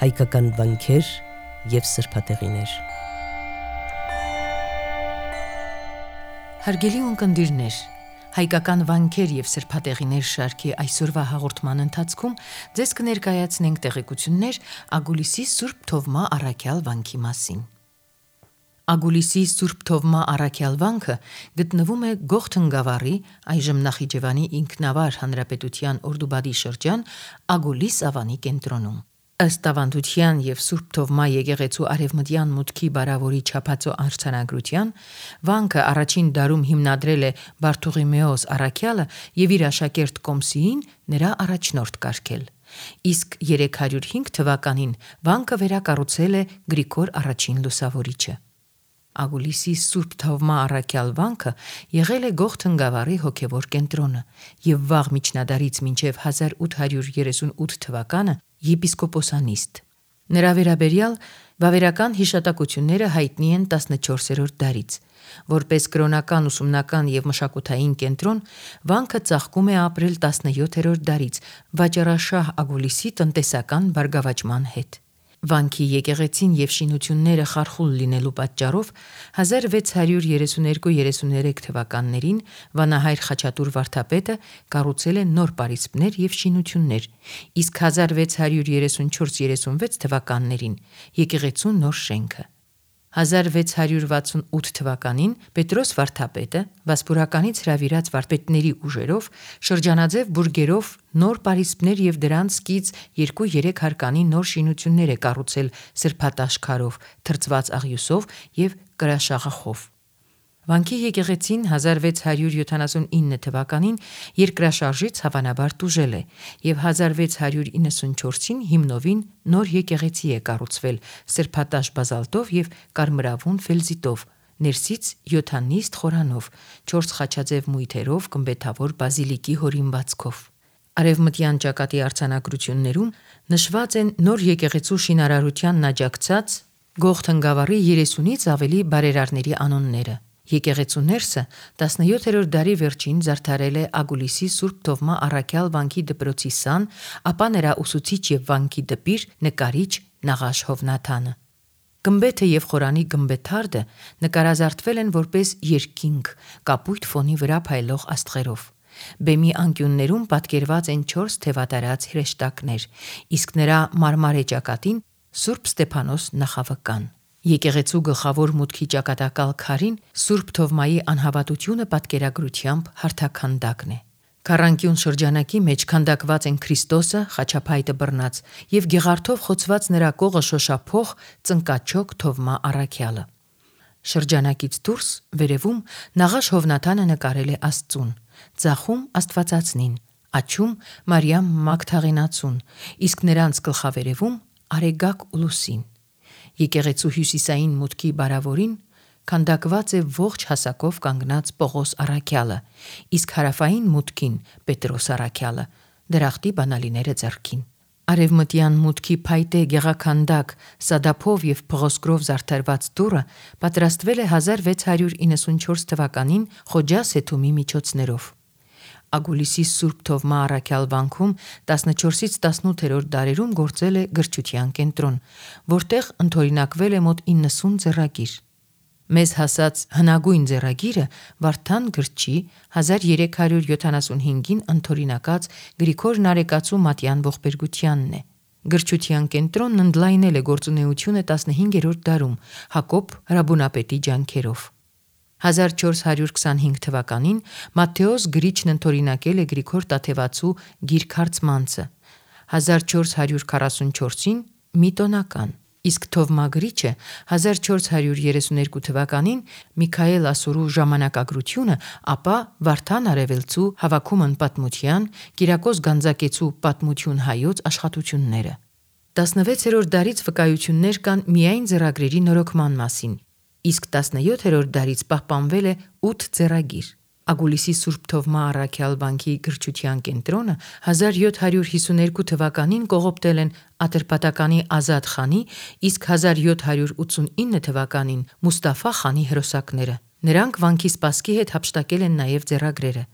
հայկական վանքեր և սրբատեղիներ։ Հարգելի ունկնդիրներ, հայկական վանքեր և սրբատեղիներ շարքի այսօրվա հաղորդման ընթացքում ձեզ կներկայացնենք տեղեկություններ Ագուլիսի Սուրբ Թովմա առաքյալ վանքի մասին։ Ագուլիսի Սուրբ Թովմա առաքյալ վանքը գտնվում է Գողթն գավառի, այժմ Նախիջևանի ինքնավար հանրապետության Օրդուբադի շրջան Ագուլիս ավանի կենտրոնում։ Ըստ ավանդության և Սուրբ Թովմա եկեղեցու արևմտյան մուտքի բարավորի չափածո արձանագրության, վանքը առաջին դարում հիմնադրել է Բարթողիմեոս առաքյալը և իր աշակերտ Կոմսիին նրա առաջնորդ կարգել։ Իսկ 305 թվականին վանքը վերակառուցել է Գրիգոր առաջին լուսավորիչը։ Ագուլիսի Սուրբ Թովմա առաքյալ վանքը եղել է Գողթն գավառի հոգևոր կենտրոնը և վաղ միջնադարից մինչև 1838 թվականը եպիսկոպոսանիստ։ Նրա վերաբերյալ վավերական հիշատակությունները հայտնի են 14-րդ դարից։ Որպես կրոնական, ուսումնական և մշակութային կենտրոն, վանքը ծաղկում է ապրել 17-րդ դարից վաճառաշահ Ագուլիսի տնտեսական բարգավաճման հետ։ Վանքի եկեղեցին և շինությունները խարխուլ լինելու պատճառով 1632-33 թվականներին վանահայր Խաչատուր վարդապետը կառուցել է նոր պարիսպներ և շինություններ, իսկ 1634-36 թվականներին եկեղեցու նոր շենքը։ 1668 թվականին Պետրոս վարդապետը վասպուրականից հրավիրած վարպետների ուժերով շրջանաձև բուրգերով նոր պարիսպներ և դրանց կից 2-3 հարկանի նոր շինություններ է կառուցել սրբատաշ քարով, թրծված աղյուսով և կրաշաղախով։ Վանքի եկեղեցին 1679 թվականին երկրաշարժից հավանաբար տուժել է և 1694-ին հիմնովին նոր եկեղեցի է կառուցվել սրբատաշ բազալտով և կարմրավուն ֆելզիտով, ներսից յոթանիստ խորանով, 4 խաչաձև մույթերով գմբեթավոր բազիլիկի հորինվածքով։ Արևմտյան ճակատի արձանագրություններում նշված են նոր եկեղեցու շինարարությանն աջակցած Գողթն գավառի 30-ից ավելի բարերարների անունները։ Եկեղեցու ներսը 17-րդ դարի վերջին զարդարել է Ագուլիսի Սուրբ Թովմա առաքյալ վանքի դպրոցի սան, ապա նրա ուսուցիչ և վանքի դպիր, նկարիչ Նաղաշ Հովնաթանը։ Գմբեթը և խորանի գմբեթարդը նկարազարդվել են որպես երկինք՝ կապույտ ֆոնի վրա փայլող աստղերով։ Բեմի անկյուններում պատկերված են 4 թևատարած հրեշտակներ, իսկ նրա մարմարե ճակատին Սուրբ Ստեփանոս նախավկան։ Եկեղեցու գլխավոր մուտքի ճակատակալ քարին Սուրբ Թովմայի անհավատությունը պատկերագրությամբ հարթաքանդակն է։ Քառանկյուն շրջանակի մեջ քանդակված են Քրիստոսը, խաչափայտը բռնած և գեղարդով խոցված նրա կողը շոշափող ծնկաչոք Թովմա առաքյալը։ Շրջանակից դուրս վերևում Նաղաշ Հովնաթանը նկարել է Աստծուն, ձախում Աստվածածնին, աջում Մարիամ Մագդաղենացուն, իսկ նրանց գլխավերևում Արեգակ ու Լուսին։ Եկեղեցու հյուսիսային մուտքի բարավորին քանդակված է ողջ հասակով կանգնած Պողոս առաքյալը, իսկ հարավային մուտքին Պետրոս առաքյալը, դրախտի բանալիները ձեռքին։ Արևմտյան մուտքի փայտե գեղաքանդակ սադափով և փղոսկրով զարդարված դուռը պատրաստվել է 1694 թվականին Խոջա Սեթումի միջոցներով։ Ագուլիսի Սուրբ Թովմա առաքյալ վանքում 14-ից 18-րդ դարերում գործել է գրչության կենտրոն, որտեղ ընդօրինակվել է մոտ 90 ձեռագիր։ Մեզ հասած հնագույն ձեռագիրը Վարդան գրչի 1375-ին ընդօրինակած Գրիգոր Նարեկացու մատյան ողբերգությանն է։ Գրչության կենտրոնն ընդլայնել է գործունեությունը 15-րդ դարում Հակոբ Հրաբունապետի ջանքերով։ 1425 թվականին Մատթեոս գրիչն ընդօրինակել է Գրիգոր Տաթևացու Գիրք հարցմանցը, 1444-ին մի տոնական, իսկ Թովմա գրիչը 1432 թվականին Միքայել Ասորու ժամանակագրությունը, ապա Վարդան Արևելցու Հավաքումն պատմության, Կիրակոս Գանձակեցու Պատմություն հայոց աշխատությունները։ 16-րդ դարից վկայություններ կան միայն ձեռագրերի նորոգման մասին, իսկ 17-րդ դարից պահպանվել է 8 ձեռագիր։ Ագուլիսի Սուրբ Թովմա առաքյալ վանքի գրչության կենտրոնը 1752 թվականին կողոպտել են Ատրպատականի Ազատ խանի, իսկ 1789 թվականին Մուստաֆա խանի հրոսակները։ Նրանք վանքի սպասքի հետ հափշտակել են նաև ձեռագրերը։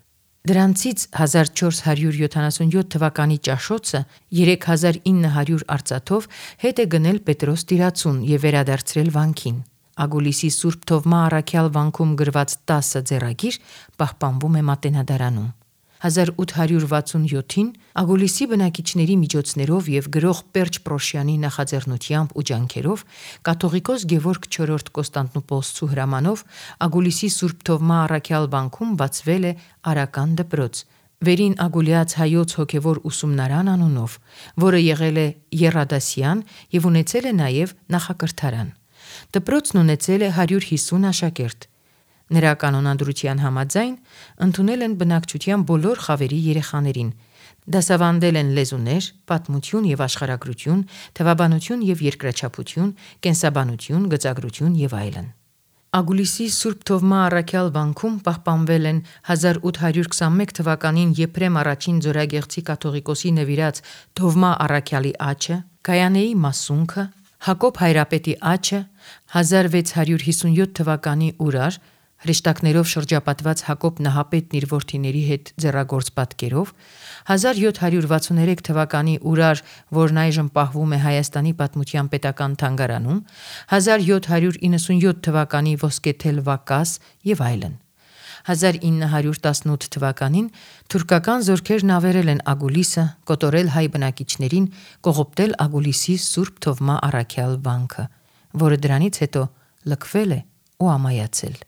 Դրանցից 1477 թվականի ճաշոցը 3900 արծաթով հետ է գնել Պետրոս Տիրացուն եւ վերադարձրել վանքին։ Ագուլիսի Սուրբ Թովմա առաքյալ վանքում գրված 10 ձեռագիր պահպանվում է Մատենադարանում։ 1867-ին Ագուլիսի բնակիչների միջոցներով եւ գրող Պերճ Պրոշյանի նախաձեռնությամբ ու ջանքերով կաթողիկոս Գևորգ IV Կոստանդնուպոլսցու հրամանով Ագուլիսի Սուրբ Թովմա առաքյալ վանքում բացվել է արական դպրոց, վերին Ագուլիաց հայոց հոգևոր ուսումնարան անունով, որը եղել է եռադասյան եւ ունեցել է նաեւ նախակրթարան։ Դպրոցն ունեցել է 150 աշակերտ։ Նրա կանոնադրության համաձայն ընդունել են բնակչության բոլոր խավերի երեխաներին, դասավանդել են լեզուներ, պատմություն եւ աշխարհագրություն, թվաբանություն եւ երկրաչափություն, կենսաբանություն, գծագրություն եւ այլն։ Ագուլիսի Սուրբ Թովմա առաքյալ վանքում պահպանվել են 1821 թվականին Եփրեմ առաջին Ձորագեղձի կաթողիկոսի նվիրած Թովմա առաքյալի աչը, Գայանեի մասունքը, Հակոբ Հայրապետի աչը, 1657 թվականի Ուրար, հրեշտակներով շրջապատված Հակոբ Նահապետն իր որդիների հետ ձեռագործ պատկերով, 1763 թվականի Ուրար, որն այժմ պահվում է Հայաստանի Պատմության պետական թանգարանում, 1797 թվականի Ոսկեթել Վակաս եւ այլն։ 1918 թվականին թուրքական զորքերն ավերել են Ագուլիսը, կոտորել հայ բնակիչներին, կողոպտել Ագուլիսի Սուրբ Թովմա առաքյալ վանքը, որը դրանից հետո լքվել է ու ամայացել։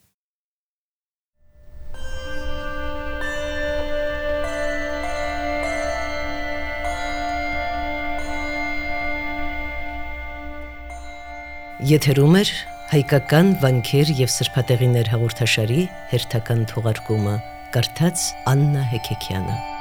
Եթերում է հայկական վանքեր եւ սրբատեղիներ հաղորդաշարի հերթական թողարկումը, կարդաց Աննա Հեքեքյանը։